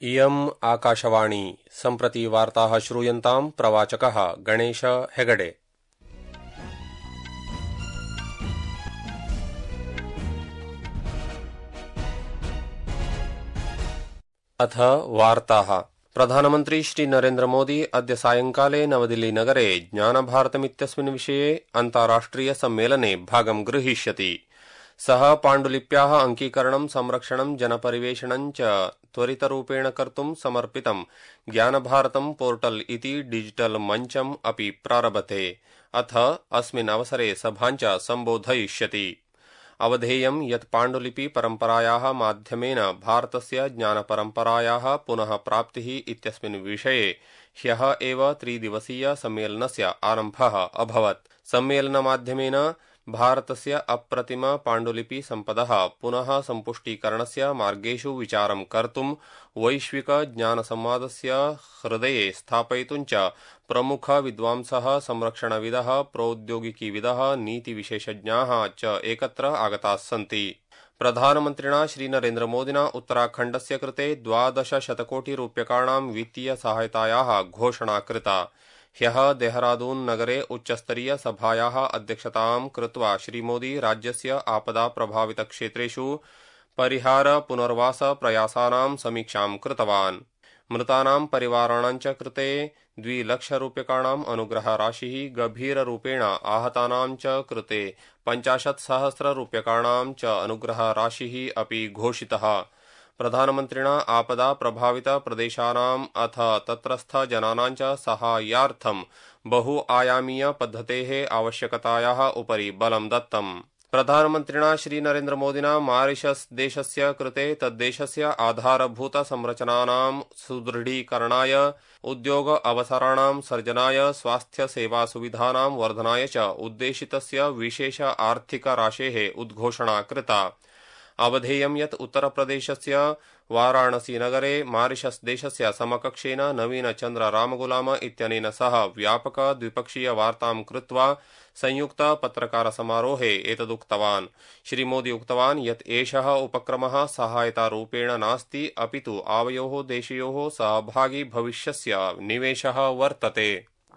इयम् आकाशवाणी सम्प्रति वार्ताः श्रूयन्ताम् प्रवाचकः गणेश हेगडे। अथ वार्ताः। प्रधानमन्त्री श्री नरेन्द्र मोदी अद्य सायंकाले नवदिल्ली नगरे ज्ञानभारतमित्यस्मिन् विषये अन्ताराष्ट्रिय सम्मेलने भागं गृहीष्यति। सः पाण्डुलिप्याः अंकीकरणं संरक्षणं जनपरिवेषणं च त्वरितरूपेण कर्तुं समर्पितं ज्ञानभारतं पोर्टल इति डिजिटल मञ्चम् अपि प्रारभते। अथ अस्मिन् अवसरे सभां च सम्बोधयिष्यति। अवधेयं यत् पाण्डुलिपि परम्परायाः माध्यमेन भारतस्य ज्ञानपरम्परायाः पुनः प्राप्तिः इत्यस्मिन् विषये ह्यः एव त्रिदिवसीय सम्मेलनस्य आरम्भः अभवत्। सम्मेलनमाध्यमेन भारतस्य अप्रतिम पाण्डुलिपि सम्पदः पुनः सम्पुष्टीकरणस्य मार्गेषु विचारं कर्तुं वैश्विक ज्ञानसंवादस्य हृदये स्थापयितुं च प्रमुख विद्वांसः, संरक्षणविदः, प्रौद्योगिकीविदः, नीतिविशेषज्ञाः च एकत्र आगताः सन्ति। प्रधानमन्त्रिणा श्री नरेन्द्र मोदिना उत्तराखण्डस्य कृते 12 शतकोटिरूप्यकाणां वित्तीय सहायतायाः घोषणा कृता। ह्यः देहरादून नगरे उच्चस्तरीय सभायाः अध्यक्षतां कृत्वा श्रीमोदी राज्यस्य आपदा प्रभावित क्षेत्रेषु परिहार पुनर्वास प्रयासानां समीक्षां कृतवान्। मृतानां परिवाराणां च कृते 2 लक्षरूप्यकाणाम् अनुग्रहराशिः, गभीररूपेण आहतानां च कृते 50,000 रूप्यकाणां च अनुग्रहराशिः अपि घोषितः। प्रधानमन्त्रिणा आपदा प्रभावित प्रदेशानाम् अथ तत्रस्थ जनानां च साहाय्यार्थं बहुआयामीय पद्धतेः आवश्यकतायाः उपरि बलं दत्तम्। प्रधानमन्त्रिणा श्री नरेन्द्र मोदिना मॉरिशस देशस्य कृते तद्देशस्य आधारभूत संरचनानां सुदृढीकरणाय, उद्योग अवसराणां सर्जनाय, स्वास्थ्य सेवा सुविधानां वर्धनाय च उद्देशितस्य विशेष आर्थिक राशेः उद्घोषणा कृता। अवधेयं यत् उत्तरप्रदेशस्य वाराणसी नगरे मॉरिशस देशस्य समकक्षेन नवीन चंद्र रामगुलाम इत्यनेन सह व्यापक द्विपक्षीय वार्तां कृत्वा संयुक्त पत्रकार समारोहे एतदुक्तवान्। श्रीमोदी उक्तवान् यत् एषः उपक्रमः सहायतारूपेण नास्ति, अपितु आवयोः देशयोः सहभागी भविष्यस्य निवेशः वर्तते।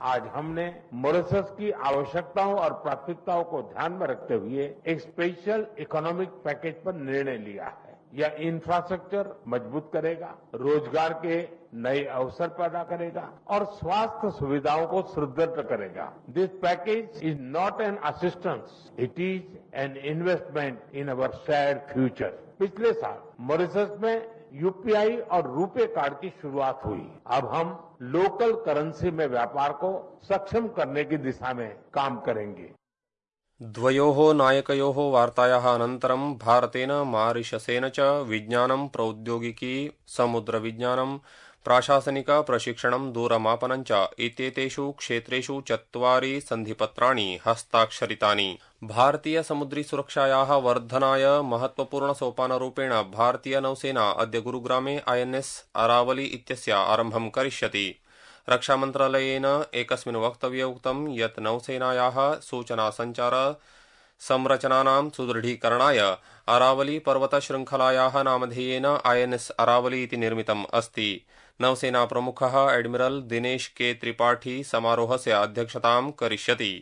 आज हमने मॉरिशस की आवश्यकताओं और प्राथमिकताओं को ध्यान में रखते हुए एक स्पेशल इकोनॉमिक पैकेज पर निर्णय लिया है। यह इंफ्रास्ट्रक्चर मजबूत करेगा, रोजगार के नए अवसर पैदा करेगा और स्वास्थ्य सुविधाओं को सुदृढ़ करेगा। This package is not an assistance, it is an investment in our shared future. पिछले साल मॉरिशस में यूपीआई और रुपे कार्ड की शुरुआत हुई। अब हम लोकल करेंसी में व्यापार को सक्षम करने की दिशा में काम करेंगे। द्वयोः नायकयोः वार्तायाः अनन्तरं भारतेन मॉरिशसेन च विज्ञानं, प्रौद्योगिकी, समुद्रविज्ञानं, प्राशासनिक प्रशिक्षणं, दूरमापनं च इत्येतेषु क्षेत्रेषु 4 सन्धिपत्राणि हस्ताक्षरितानि। भारतीय समुद्री सुरक्षायाः वर्धनाय महत्वपूर्ण सोपानरूपेण भारतीय नौसेना अद्य गुरुग्रामे INS अरावली इत्यस्य आरम्भं करिष्यति। रक्षामन्त्रालयेन एकस्मिन् वक्तव्ये उक्तं यत् नौसेनायाः सूचनासञ्चार संरचनानां सुदृढीकरणाय अरावली पर्वतशृङ्खलायाः नामधेयेन INS अरावली इति निर्मितम् अस्ति। नौसेना प्रमुखः एडमिरल दिनेश के त्रिपाठी समारोहस्य अध्यक्षतां करिष्यति।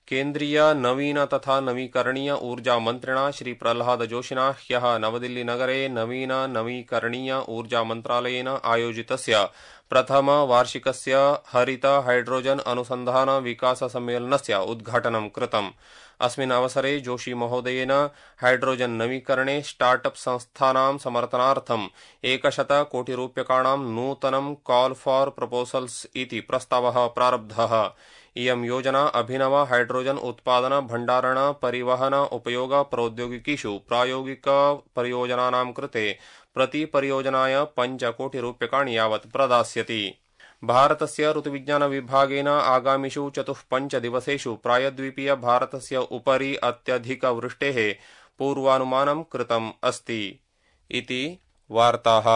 केन्द्रीय नवीन तथा नवीकरणीय ऊर्जा मन्त्रिणा श्री प्रह्लाद जोशिना ह्यः नवदिल्ली नगरे नवीन नवीकरणीय ऊर्जा मन्त्रालयेन आयोजितस्य प्रथम वार्षिकस्य हरित हाइड्रोजन अनुसन्धान विकास सम्मेलनस्य उद्घाटनं कृतम्। अस्मिन् अवसरे जोशी महोदयेन हाइड्रोजन नवीकरणे स्टार्टअप संस्थानां समर्थनार्थं 100 कोटिरूप्यकाणां नूतनं कॉल फॉर प्रपोजल्स इति प्रस्तावः प्रारब्धः। इयं योजना अभिनव हाइड्रोजन उत्पादन, भण्डारण, परिवहन, उपयोग प्रौद्योगिकीषु प्रायोगिक परियोजनानां कृते प्रति परियोजनाय 5 कोटिरूप्यकाणि यावत् प्रदास्यति। भारतस्य ऋतुविज्ञान विभागेन आगामिषु 4-5 दिवसेषु प्रायद्वीपीय भारतस्य उपरि अत्यधिकवृष्टेः पूर्वानुमानं कृतम् अस्ति। इति वार्ताः।